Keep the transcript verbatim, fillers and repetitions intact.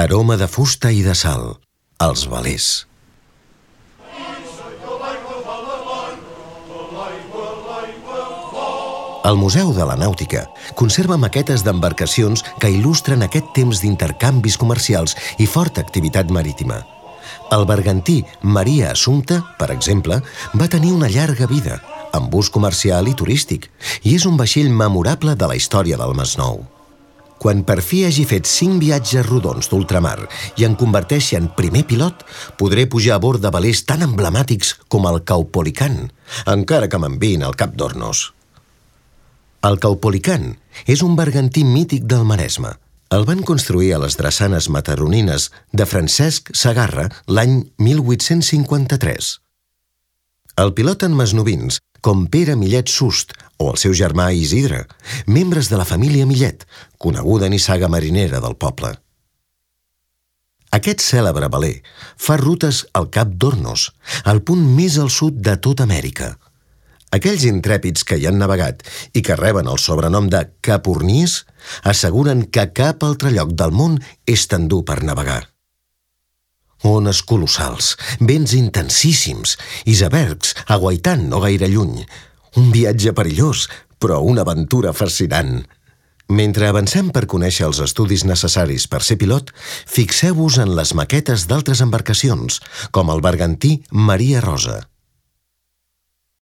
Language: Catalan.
Aroma de fusta i de sal. Els velers. El Museu de la Nàutica conserva maquetes d'embarcacions que il·lustren aquest temps d'intercanvis comercials i forta activitat marítima. El bergantí Maria Assumpta, per exemple, va tenir una llarga vida, amb ús comercial i turístic, i és un vaixell memorable de la història del Masnou. Quan per fi hagi fet cinc viatges rodons d'ultramar i en converteixi en primer pilot, podré pujar a bord de velers tan emblemàtics com el Caupolicán, encara que m'enviïn al Cap d'Hornos. El Caupolicán és un bergantí mític del Maresme. El van construir a les drassanes mataronines de Francesc Segarra l'any mil vuit-cents cinquanta-tres. El piloten masnovins, com Pere Millet Sust o el seu germà Isidre, membres de la família Millet, coneguda nissaga marinera del poble. Aquest cèlebre veler fa rutes al Cap d'Hornos, el punt més al sud de tota Amèrica. Aquells intrèpids que hi han navegat i que reben el sobrenom de capurniers asseguren que cap altre lloc del món és tan dur per navegar. Ones colossals, vents intensíssims, icebergs aguaitant no gaire lluny. Un viatge perillós, però una aventura fascinant. Mentre avancem per conèixer els estudis necessaris per ser pilot, fixeu-vos en les maquetes d'altres embarcacions, com el bergantí Maria Rosa.